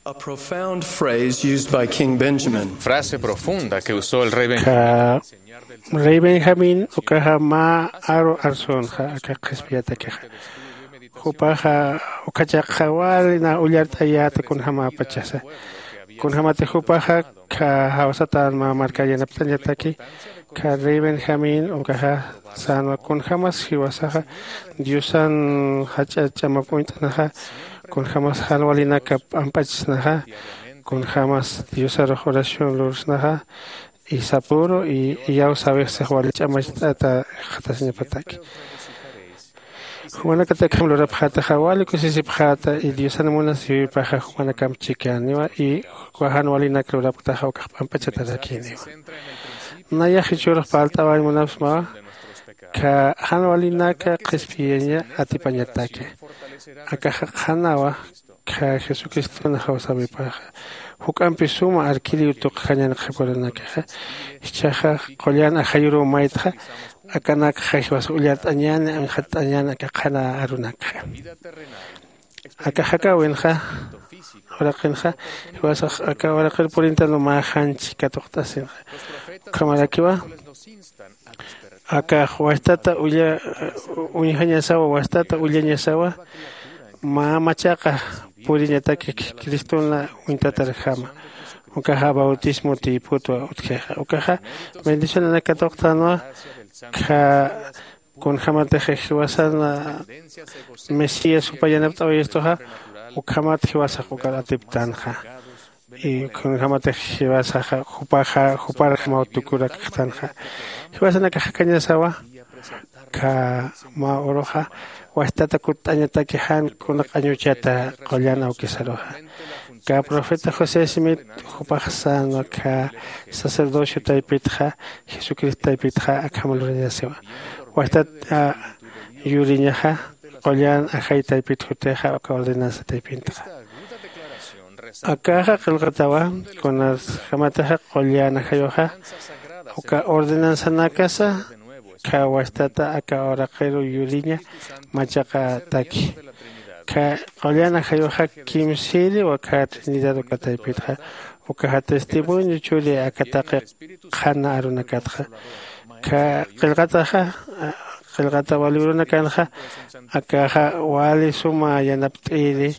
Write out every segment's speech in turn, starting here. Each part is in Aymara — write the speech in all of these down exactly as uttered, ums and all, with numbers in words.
A profound phrase used by King Benjamin. Frase profunda que usó el rey Benjamín. Ka rey Benjamín ukaxa mä aru arsunxa aka qhispiyatakixa. Jupaxa ukhachaqxa wali na ullart'ayäta kunjamäpachasa. Kunjämati jupaxa ka jawsatan mä markar yanapt'añataki, ka rey Benjamín ukaxa sänwa kunjämas jiwasaxa Diosan jach'a ch'amap uñt'anaxa, kunjämas jan walinaka p'amp'achsnaxa, kunjämas Diosarux oración lursnaxa, y sapüru y iyaw sawix six wali ch'amacht'ata jikxatasiñapataki. Jumanakatakjam lurapxätaxa wali kusisipxäta, y Diosan munasïwipaxa jumanakamp chikaniwa, y uka jan walinak lurapktaxa ukax p'amp'achatarakiniwa. Nayax jichhürux parlt'awañ munapsmawa, ka jan walinaka qhispiyaña atipañataki. Akaxa qhanawa, ka Jesucristona jawsäwipaxa. Juk'ampi suma arkiriw tuqjañan qhiparunakaxa. Jichhaxa qullan ajayuruw maytxa, akanakxa jiwasa ullart'añäni, anxatt'añäni aka qhana arunakxa. Aka jakäwinxa, uraqinxa, jiwasax aka uraqir purintanwa mä janchi katuqt'asinxa. Ukhamarakiwa, akax wastata uñjañasawa, wastata ullañasawa, mä machaqa puriñataki Cristona uñtatarjama. Ukaxa bautismo tiyputwa utjixa. Ukaxa bendicionanak katuqtänwa, ka kunjämatix jiwasan Mesías jupa yanapt'awayistuxa, ukhamat jiwasax ukar atiptänxa. Y kunjämatix jiwasaxa jupaxa, juparjamaw tukurakxtanxa. Jiwasanakax jakañasawa, ka mä uruxa, wastata kutt'añataki jan kuna q'añuchata qullan awkisaruxa. Ka profeta José Smith jupax sänwa ka sacerdocio taypitxa, Jesucristo taypitxa akham lurañasiwa. Wastat, a, yuriñaxa, qullan ajay taypit jutixa, uka ordenanza taypintxa. Akaxa qillqatawa, kunasjamatixa qullan ajayuxa, uka ordenanzanakasa, ka wastata aka uraqiru yuriña machaqataki. Ka qullan ajayuxa kimsïriw aka Trinidad uka taypitxa, ukaxa testimonio churi aka taqi qhana arunakatxa. Ka qillqataxa, qillqatawa librunakanxa, akaxa wali suma yanapt'iri,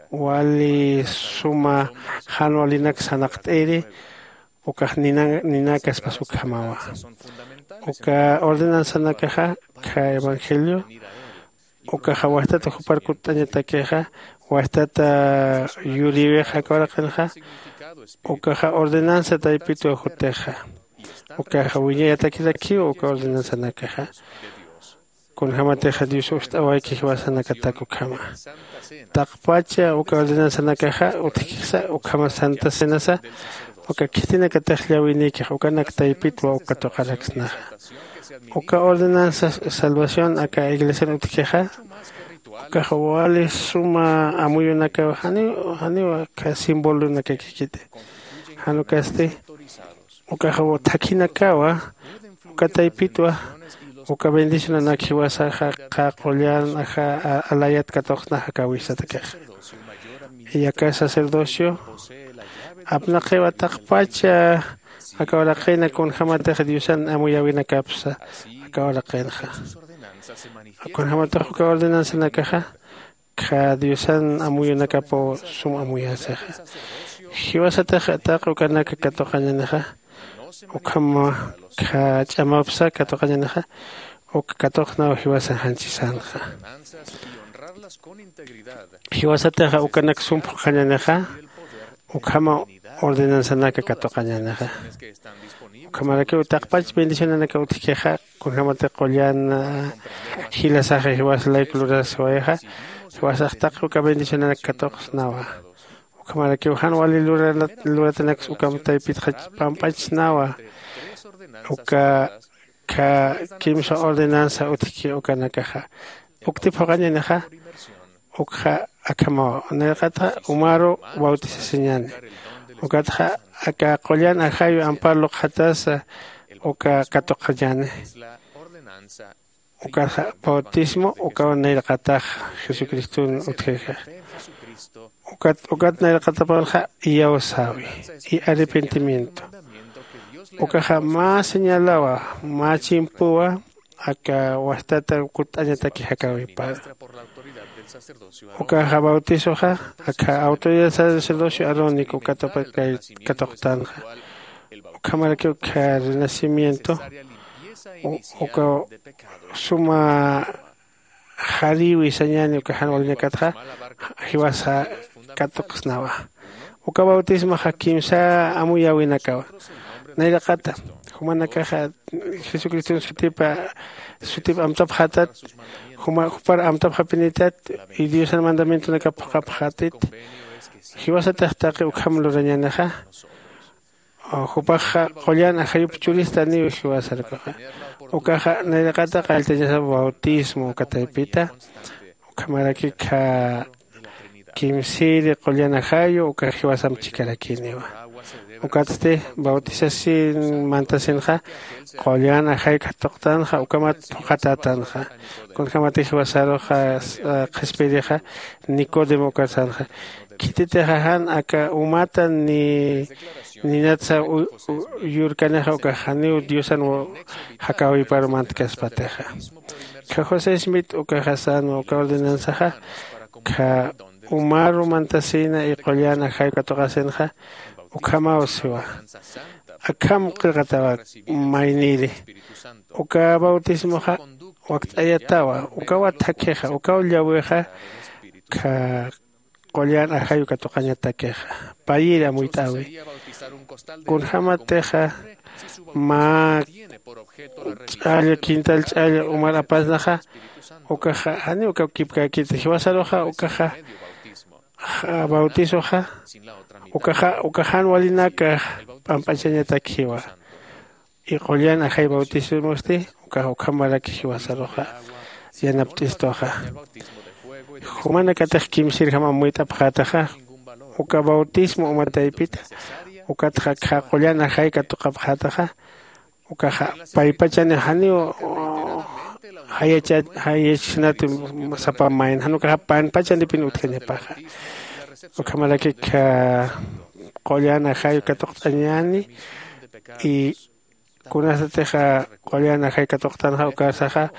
wali suma jan walinak sanaqt'iri, ukax nina-, ninakaspas ukhamawa. Uka ordenanzanakaxa, ka evangelio, ukaxa wastata jupar kutt'añatakixa, wastata yuriwixa aka uraqinxa, ukaxa ordenanza taypitwa jutixa. Ukaxa wiñayatakirakiw uka ordenanzanakaxa. Kunjämatixa Dios ust'awayki jiwasanakatak ukhama. Taqpacha uka ordenanzanakaxa utjkisa ukhama Santa Cenasa, uka khitinakatix llawinïkix ukanak taypitwa uka katuqaraksnaxa. Uka ordenanza salvación aka iglesian utjkixa, ukax wali suma amuyunakaw janiw, janiw aka simbolonakakikiti. Jan ukasti, ukax thakhinakawa, uka taypitwa, uka bendicionanak jiwasaxa, qa qullan aja, a-, alayat katuqsna jakäwisatakix. Y aka sacerdocio, apnaqiwa taqpacha, aka uraqina kunjämatix Diosan amuyäwinakapsa, aka uraqinxa. Kunjämatix uka ordenanzanakaxa, kha Diosan amuyunakapaw sum amuyasixa. Jiwasatix taqi ukanaka katuqañanixa, ukham kha ch'amapsa katuqañanixa, uk katuqnaw jiwasan janchisanxa. Jiwasatix ukanak sum phuqhañanixa, ukhama ordenanzanaka katuqañanixa. Ukhamarakiw taqpach bendicionanaka utjkixa, kunjämatix qullan, ah, jilasaxa jiwas layku lurasiwayixa, jiwasax taqi uka bendicionanak katuqsnawa. Ukhamarakiw jan wali lurana-, luratanaks ukham taypitxa pampachsnawa. Uka kha kimsa ordenanza utjki ukanakaxa. Uktip phuqhañanixa, ukxa akhamaw, nayraqatxa umaru bautisasiñani. Ukatxa aka qullan ajayu ampar luqxatasa, uka katuqañani. Ukatxa bautismo, ukaw nayraqatax Jesucriston utjixa. Ukat ukat nayraqatapanxa iyawsäwi y arrepentimiento. Ukaxa mä señalawa, mä chimpuwa aka wastata kut'añataki jakäwipara. Ukaxa bautizoxa aka autoridad sacerdocio arónico ukatapa kay katuqtanxa. Ukhamarakiw ukkha renacimiento uka suma jarïwi sañäni uka jan walinakatxa jiwasa katuqsnawa. Uka bautismoxa kimsa amuyäwinakawa. Nayraqata jumanakaxa jesucriston sutipa sutip amtapxätat, juma jupar amtapxapinitat y diosan mandamientonakap phuqhapxätit. Jiwasatix taqi ukham lurañänixa. Jupaxa qullan ajayup churistaniw jiwasarkaxa. Ukaxa nayraqata qalltañasa bautismo uka taypita. Ukhamaraki kha kimsiri qullan ajayu uka jiwasamp chikarakiniwa. Ukatsti bautisasin mantasinxa qullan ajay katuqtanxa ukamat phuqhatätanxa. Kunjämatix jiwasaruxa qhispirixa nicodemo ukarsanxa. Khititixa jan aka umata ni ninatsa yurkanixa ukax janiw diosan jakäwiparu mantkaspatixa. Kha josé smith ukaxa sänwa uka ordenanzaxa kha umaru mantasïna y qullan ajay katuqasinxa. Ukhamaw siwa akham qillqatawa. Mayniri uka bautismoxa wakt'ayatawa ukawa thakhixa ukaw llawixa. Kha qullan ajayu katuqañatakixa payiri amuyt'äwi. Kunjämatixa mä ch'alla quintal ch'alla umar apasnaxa ukaxa janiw uka kipkäkiti jiwasaruxa ukaxa bautizoxa ukaxa uka jan walinaka p'amp'achañatakjiwa. Y qullan ajay bautismosti ukax ukhamaraki jiwasaruxa yanapt'istuxa. Jumanakatix kimsirjam amuyt'apxätaxa uka bautismo uma taypita ukatxa kha qullan ajay katuqapxätaxa ukaxa paypachani janiw jayachisnati sapa mayna jan ukaxa panpachanipin utjañapaxa. Ukhamaraki kha qullan ajay katuqt'añäni y kunasatixa qullan ajay katuqtanxa ukarsaxa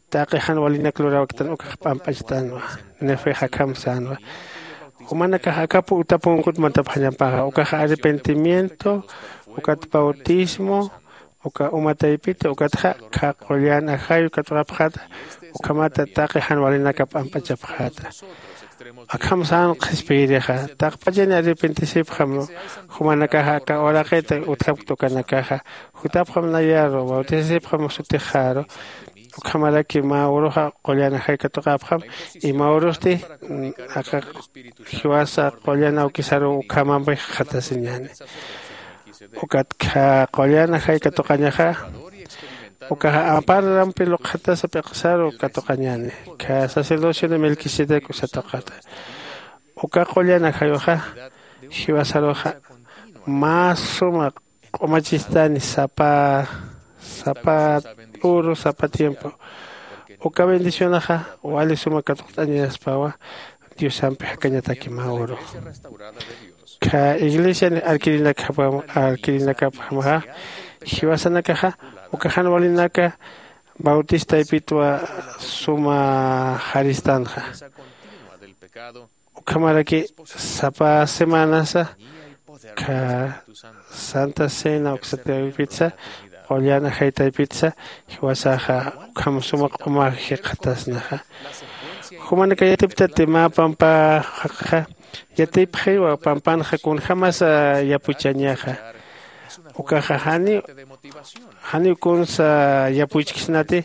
taqi jan walinak lurawktan ukax p'amp'achtänwa. Nefex akham sänwa jumanakax akap utapunkut mantapxañapaxa ukaxa arrepentimiento ukat bautismo uka uma taypita ukatxa kha qullan ajayu katuqapxäta ukhamata taqi jan walinaka p'amp'achapxäta. Akham sän qhispiyirixa taqpachani arrepentisipxam jumanakaxa aka uraqita utjapkta ukanakaxa jutapxam nayaru bautisasipxam sutixaru. Ukhamaraki mä uruxa qullan ajay katuqapxam y mä urusti aka jiwasa qullan awkisaruw ukhamampi jikxatasiñäni. Ukat kha qullan ajay katuqañaxa ukaxa amparampi luqxatasa p'iqsaru katuqañäni. Kha sacerdocion de melquisedec usa tuqata uka qullan ajayuxa jiwasaruxa mä suma q'umachistani sapa sapa uru sapa tiempo. Uka bendicionaxa wali suma katuqt'añaspawa diosampi jakañataki mä uru. Kha iglesian arkirinakapxamaxa jiwasanakaxa uka jan walinaka bautistaypitwa suma jaristanxa. Ukhamaraki sapa semanasa kha santa cena uksataypitsa qullan ajaytaypitsa jiwasaxa ukham suma q'uma jikxatasnaxa. Jumanaka yatiptati mä pampa jaqxa yatipxiwa pampanxa kunjämasa yapuchañaxa. Ukaxa janiw janiw kunsa yapuchksnati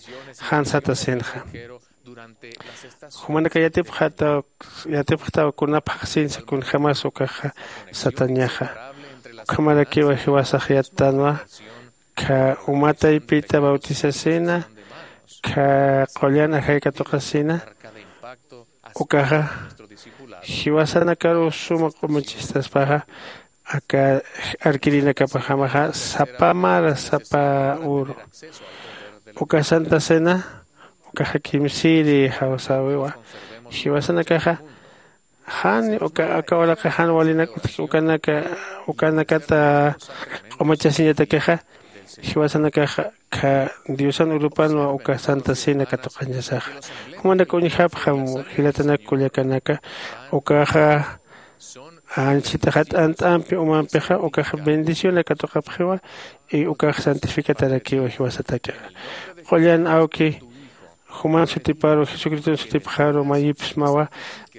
jan satasinxa. Jumanaka yatipxataw yatipxtaw kuna phaxsinsa kunjämas ukaxa satañaxa. Ukhamarakiwa jiwasax yattänwa kha uma taypita bautisasina kha qullan ajay katuqasina. Ukaxa jiwasanakaruw suma q'umachistaspaxa aka arkirinakapajamaxa sapa mara sapa uru uka santa cena ukaxa kimsiri jawsäwiwa. Jiwasanakaxa Jan uka aka uraqi jan walinak utji ukanaka ukanakata q'umachasiñatakixa, jiwasanakaxa kha diosan urupanwa uka santa cena katuqañasaxa. Jumanak uñjapxam jilatanak kullakanaka, ukaxa anchhitaxa t'ant'ampi umampixa ukaxa bendición katuqapxiwa. Y ukaxa santificatarakiwa jiwasatakixa. Qullan awki juman sutiparu jesucriston sutipxaru mayipsmawa.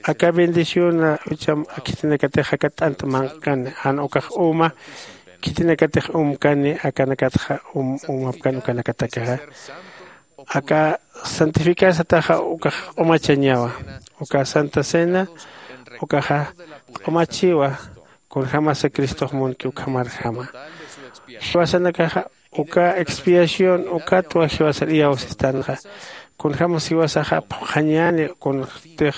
Aka bendición ucha khitinakatix aka t'ant manqkani jan ukax uma khitinakatix umkani akanakatxa umapkani ukanakatakixa. Aka santificar sataxa ukax q'umachañawa. Uka santa cena ukaxa q'umachiwa. Kunjämasa cristox munki ukhamarjama jiwasanakaxa uka expiación ukatwa jiwasar iyawsistanxa. Kunjämas jiwasaxa phuqhañäni kuntix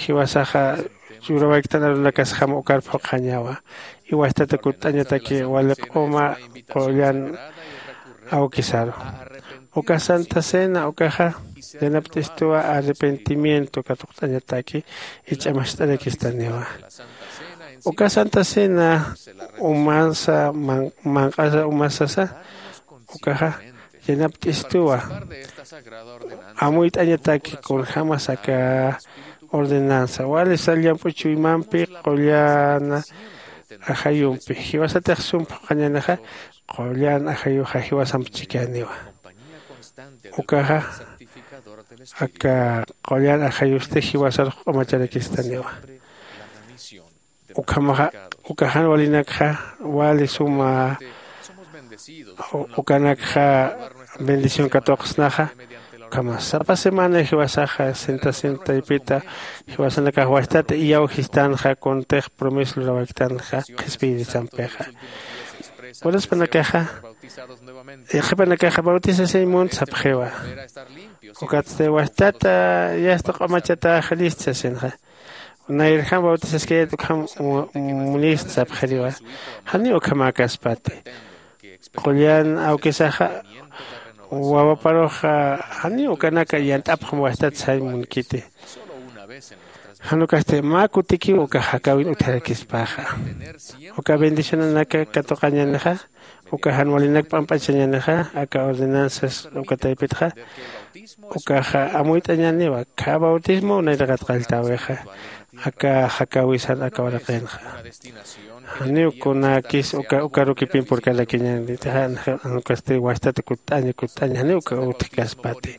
jiwasaxa ch'urawaykitan arunakasjama ukar phuqhañawa. Iwastata kutt'añataki wali q'uma qullan awkisaru. Uka santa cena ukaxa yanapt'istuwa arrepentimiento katuqt'añataki ich'amacht'arakistaniwa. Uka santa cena umansa manq'asa umasasa ukaxa yanapt'istuwa amuyt'añataki kunjämas aka ordenanza wali sal llamp'u chuymampi qullan ajayumpi jiwasatix sum phuqhañänixa. Qullan ajayuxa jiwasamp chikaniwa. Ukaxa aka qullan ajayusti jiwasarux q'umacharakistaniwa. Ukhamaxa uka jan walinakxa wali suma ukanakxa bendición katuqsnaxa. Ukhama sapa semana jiwasaxa senta senta taypita jiwasanakax wajtat iyawjistanxa kuntix promesa lurawaktanxa qhispiyirisampixa. Uraspanakaxa yaqhipanakaxa bautisasiñ munt sapxiwa. Ukatsti wajtata yasta q'umachatax list sasinxa. Nayrjam bautizaskayat ukham munist sapxiriwa. Janiw ukhamäkaspati qullan awkisaxa wawaparuxa janiw ukanaka yant'apxam wajtat sañ munkiti. Jan ukasti mä kutikiw uka jakäwin utjarakispaxa uka bendicionanaka katuqañänixa. Uka jan walinak p'amp'achañänixa aka ordenanzas uka taypitxa ukaxa amuyt'añäniwa. Kha bautismo nayraqat qalltäwixa aka jakäwisan aka uraqinxa. Janiw kunäkis uka ukarukipin purkarakiñänitixa. Jan ukasti wajtat kutt'aña kutt'aña janiw uka utjkaspati.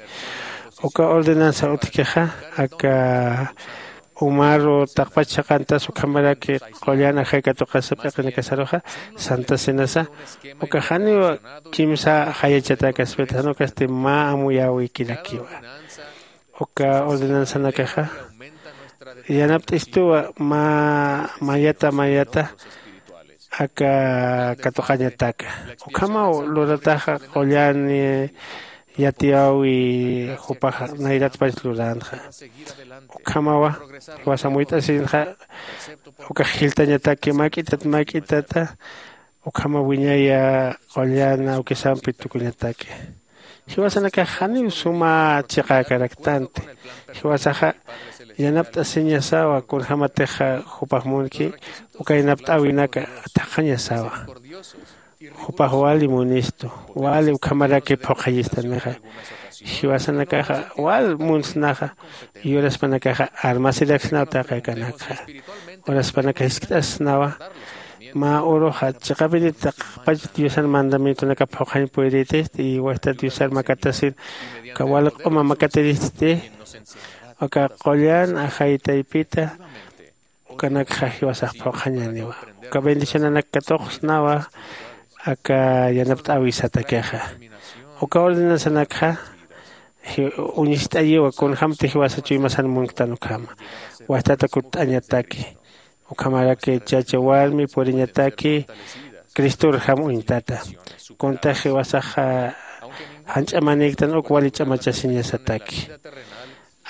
Uka ordenanza utjkixa aka umaru taqpach saqantas ukhamaraki qullan ajay katuqasa p'iqinakasaruxa santa cenasa uka janiw kimsa jayachatäkaspita jan ukasti mä amuyäwikirakiwa. Uka ordenanzanakaxa yanapt'istuwa mä mayata mayata aka katuqañataka. Ukhamaw lurataxa qullan yatiyäwi jupax nayratpach luränxa. Ukhamawa jiwas amuyt'asinxa ukax jiltañataki mak'itat mak'itata ukhama wiñaya qullan awkisampi tukuñataki. Jiwasanakax janiw suma chiqäkaraktanti. Jiwasaxa yanapt'asiñasawa kunjämatixa jupax munki uka yanapt'äwinaka thaqhañasawa. Jupax wali munistu wali ukhamaraki phuqhayistanixa. Jiwasanakaxa wal munsnaxa. Yuraspanakaxa armasiraksnaw taqi akanakxa. Uraspanaka jiskt'asnawa mä uruxa chiqapiriti taqpach diosan mandamientonaka phuqhañ puyritisti y wajtat diosar makatasin uka wali q'uma makatiristi uka qullan ajay taypita ukanakxa jiwasax phuqhañäniwa. Uka bendicionanak katuqsnawa aka yanapt'äwisatakixa. Uka ordenanzanakxa uñist'ayiwa kunjämti jiwasa chuymasan munktan ukhama wajtata kutt'añataki ukhamaraki chacha warmi puriñataki cristorjam uñtata. Kuntax jiwasaxa janch'amanïktan uk wali ch'amachasiñasataki.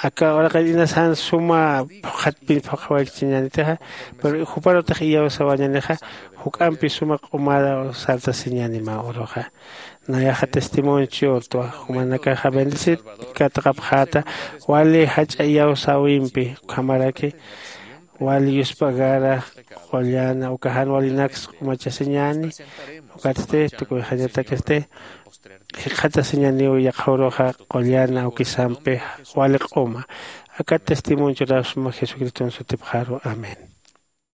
Aka uraqin inas jan suma phuqhatpin phuqhawaykichiñänitixa pero juparutix iyawsawañänixa juk'ampi suma q'umaru sartasiñäni mä uruxa. Nayaxa testimonio churtwa jumanakaxa bendecir katuqapxäta wali jach'a iyawsäwimpi ukhamaraki wali yuspagara qullana uka jan walinaks q'umachasiñani. Ukatsti tukuyxañatakisti jikxatasiñaniw yaqhawruxa qullana ukisampi wali q'uma. Aka testimonio churasma jesucriston sutipxaru. Amén.